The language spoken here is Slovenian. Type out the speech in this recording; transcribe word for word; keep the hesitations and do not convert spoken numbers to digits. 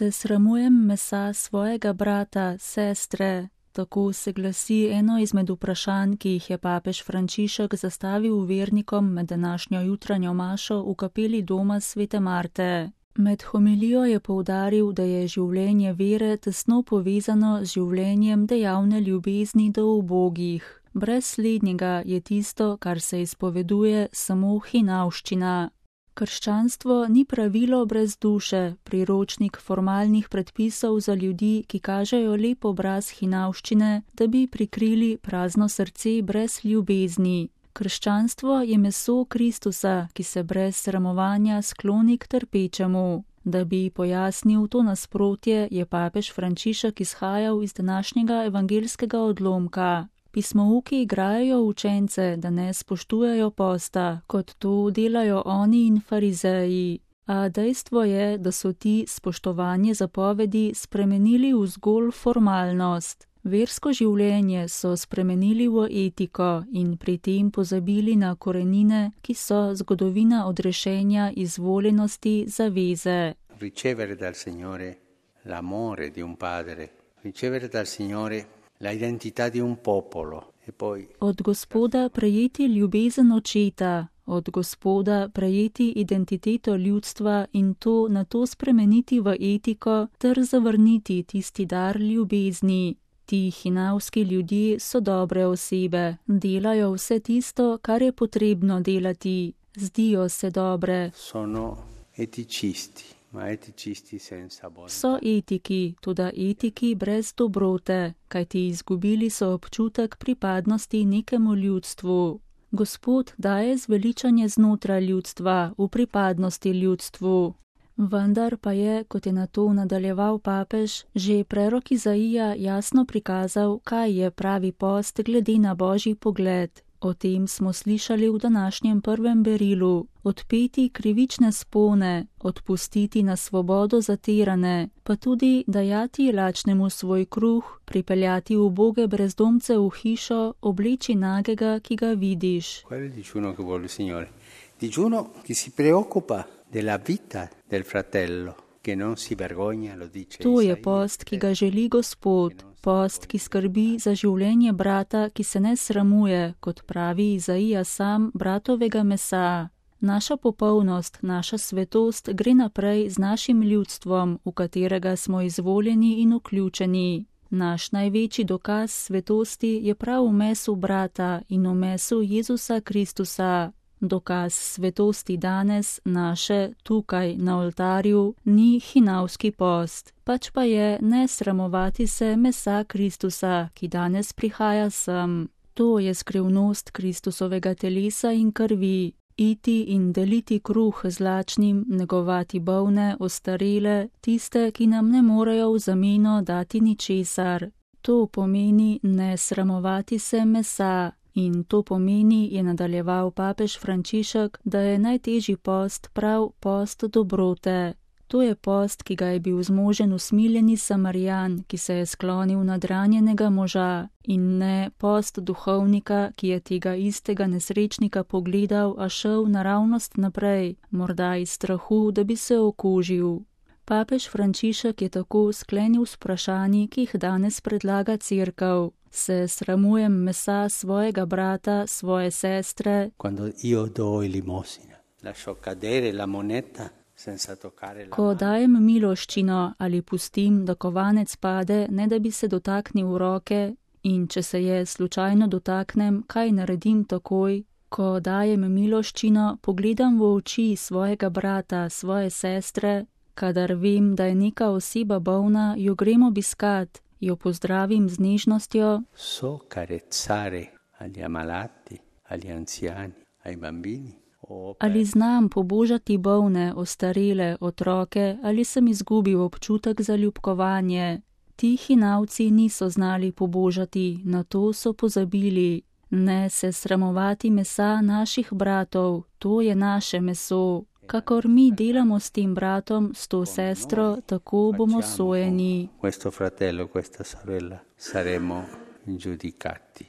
se sramujem mesa svojega brata, sestre. Tako se glasi eno izmed vprašanj, ki jih je papež Frančišek zastavil vernikom med današnjo jutranjo mašo v kapeli doma svete Marte. Med homilijo je poudaril, da je življenje vere tesno povezano z življenjem dejavne ljubezni do ubogih. Brez slednjega je tisto, kar se izpoveduje, samo hinavščina. Krščanstvo ni pravilo brez duše, priročnik formalnih predpisov za ljudi, ki kažejo lep obraz hinavščine, da bi prikrili prazno srce brez ljubezni. Krščanstvo je meso Kristusa, ki se brez sramovanja skloni k trpečemu. Da bi pojasnil to nasprotje, je papež Frančišek izhajal iz današnjega evangelskega odlomka. Pismouki igrajo učence, da ne spoštujejo posta, kot to delajo oni in farizeji. A dejstvo je, da so ti spoštovanje zapovedi spremenili v zgolj formalnost. Versko življenje so spremenili v etiko in pri tem pozabili na korenine, ki so zgodovina odrešenja izvoljenosti zaveze. Ricevere dal Signore l'amore di un padre, ricevere dal Signore la identità di un popolo e poi od Gospoda prejeti ljubezen očeta, od Gospoda prejeti identiteto ljudstva in to nato spremeniti v etiko ter zavrniti tisti dar ljubezni. Ti hinavski ljudje so dobre osebe, delajo vse tisto, kar je potrebno delati, zdijo se dobre. Sono eticisti. So etiki, toda etiki brez dobrote, kajti izgubili so občutek pripadnosti nekemu ljudstvu. Gospod daje zveličanje znotraj ljudstva, v pripadnosti ljudstvu. Vendar pa je, kot je na to nadaljeval papež, že prerok Izaija jasno prikazal, kaj je pravi post glede na božji pogled. O tem smo slišali v današnjem prvem berilu. Odpeti krivične spone, odpustiti na svobodo zatirane, pa tudi dajati lačnemu svoj kruh, pripeljati uboge brezdomce v hišo, obleči nagega, ki ga vidiš. Qual è il digiuno che vuole il Signore? Digiuno che si preoccupa della vita del fratello, che non si vergogna, lo dice Isaia. To je post, ki ga želi Gospod. Post, ki skrbi za življenje brata, ki se ne sramuje, kot pravi Izaija sam, bratovega mesa. Naša popolnost, naša svetost gre naprej z našim ljudstvom, v katerega smo izvoljeni in vključeni. Naš največji dokaz svetosti je prav v mesu brata in v mesu Jezusa Kristusa. Dokaz svetosti danes, naše, tukaj na oltarju, ni hinavski post, pač pa je ne sramovati se mesa Kristusa, ki danes prihaja sem. To je skrivnost Kristusovega telesa in krvi. Iti in deliti kruh z lačnim, negovati bolne, ostarele, tiste, ki nam ne morejo v zameno dati ničesar. To pomeni ne sramovati se mesa. In to pomeni, je nadaljeval papež Frančišek, da je najtežji post prav post dobrote. To je post, ki ga je bil zmožen usmiljeni Samarijan, ki se je sklonil nad ranjenega moža, in ne post duhovnika, ki je tega istega nesrečnika pogledal, a šel naravnost naprej, morda iz strahu, da bi se okužil. Papež Frančišek je tako sklenil s vprašanji, ki jih danes predlaga Cerkev. Se sramujem mesa svojega brata, svoje sestre. Quando io do limosina, lascio cadere la moneta senza toccare la. Ko dajem miloščino ali pustim, da kovanec pade, ne da bi se dotaknil roke, in če se je slučajno dotaknem, kaj naredim takoj? Ko dajem miloščino, pogledam v oči svojega brata, svoje sestre, kadar vem, da je neka oseba bolna, jo grem obiskat. Jo pozdravim z nežnostjo. So carezzare agli ammalati, agli anziani, ai bambini. Ali znam pobožati bolne, ostarele, otroke, ali sem izgubil občutek za ljubkovanje. Ti hinavci niso znali pobožati, na to so pozabili. Ne se sramovati mesa naših bratov, to je naše meso. Kakor mi delamo s tem bratom, s to sestro, tako bomo sojeni. Questo fratello, questa sorella, saremo giudicati.